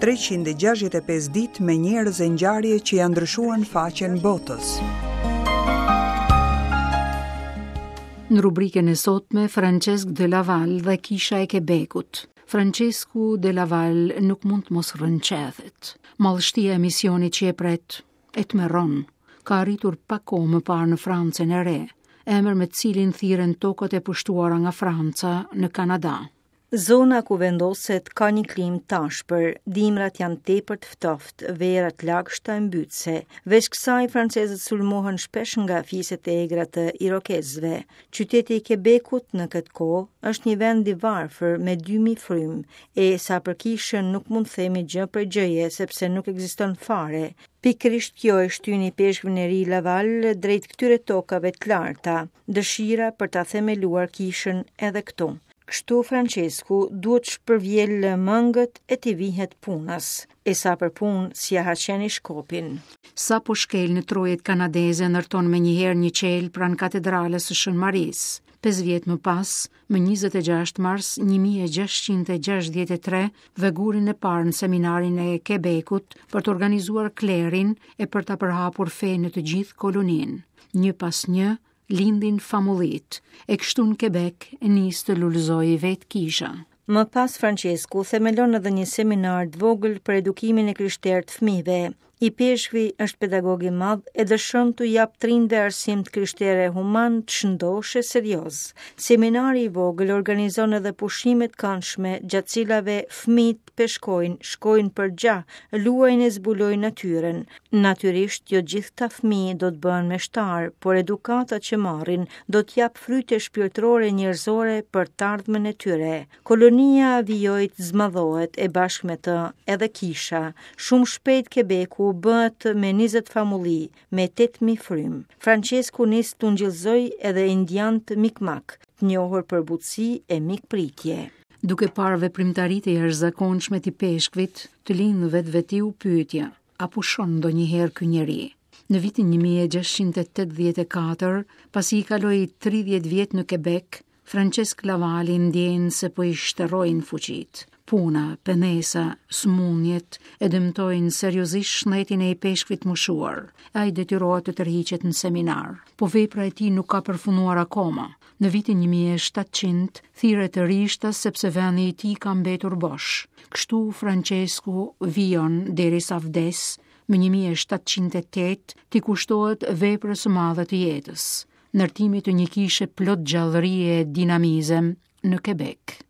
365 ditë me njerëz e ngjarje që ia ndryshuan faqen botës. Në rubrikën e sotme, Francesc de Laval dhe Kisha e Quebecut. Francesku de Laval nuk mund të mos rrënqethet. Madhështia e misionit që e pret, e tmerron. Ka arritur pak kohë më parë në Francën e Re, emër me të cilin thirren tokat e pushtuara nga Franca në Kanada. Zona ku vendoset ka një klimë t'ashpër, dimrat janë tepër të ftohtë, vera të lagështa e mbytëse. Veç kësaj, francezët sulmohen shpesh nga fiset e egra të irokezëve. Qyteti i Kebekut në këtë kohë është një vend i varfër me 2000 frymë, e sa për kishën nuk mund të themi gjë prej gjëje sepse nuk ekziston fare. Pikërisht kjo e shtyn ipeshkvin e ri Laval drejt këtyre tokave të larta, dëshira për ta themeluar kishën edhe këtu. Kështu Francesku duhet të shpërvjelë mëngët e t'i vihet punës. E sa për punë, s'ia ha qeni shkopin. Sapo shkel në trojet kanadeze ndërton menjëherë një qelë pranë katedrales së Shën Marisë. 5 vjet më pas, më 26 mars 1663, vë gurin e parë në seminarin e Quebecut për të organizuar klerin e për ta përhapur fenë në të gjithë koloninë. Një pas një, lindin famullitë, e kështu në Quebec nis të lulëzojë vetë kisha. Më pas Francesku themelon edhe një seminar të vogël për edukimin e krishterë të fëmijëve. Ipeshkvi është pedagog i madh e dëshiron t'u japë të rinjve arsim të krishterë e human të shëndoshë e serioz. Seminari i vogël organizon edhe pushime të këndshme gjatë cilave fëmijët peshkojnë, shkojnë për gjah, luajnë e zbulojnë natyrën. Natyrisht jo gjithë këta fëmijë do të bëhen meshtarë, por edukata që marrin do të japë fryte shpirtërore njerëzore për të ardhmen e tyre. Kolonia vijoi të zmadhohet e bashkë me të edhe kisha. Shumë shpejt Kebeku bëhet me 20 famulli, me 8000 frymë. Francesku nis të ungjillëzojë edhe indianët Mikmak, të njohur për butësi e mikpritje. Duke parë veprimtaritë e jashtëzakonshme të ipeshkvit, të lind vetvetiu pyetja, a pushon ndonjëherë ky njeri? Në vitin 1684, pasi i kaloi 30 vjet në Quebec, Francesc Lavali ndjen se po i shterrojnë fuqitë. Puna, pendesa, sëmundjet e dëmtojnë seriozisht shëndetin e ipeshkvit të moshuar. Ai detyrohet të tërhiqet në seminar. Po vepra e tij nuk ka përfunduar akoma. Në vitin 1700 thirret rishtas sepse vendi i tij ka mbetur bosh. Kështu Francesku vijon derisa vdes më 1708 t'i kushtohet veprës së madhe të jetës, ndërtimit të një kishe plot gjallëri e dinamizëm në Quebec.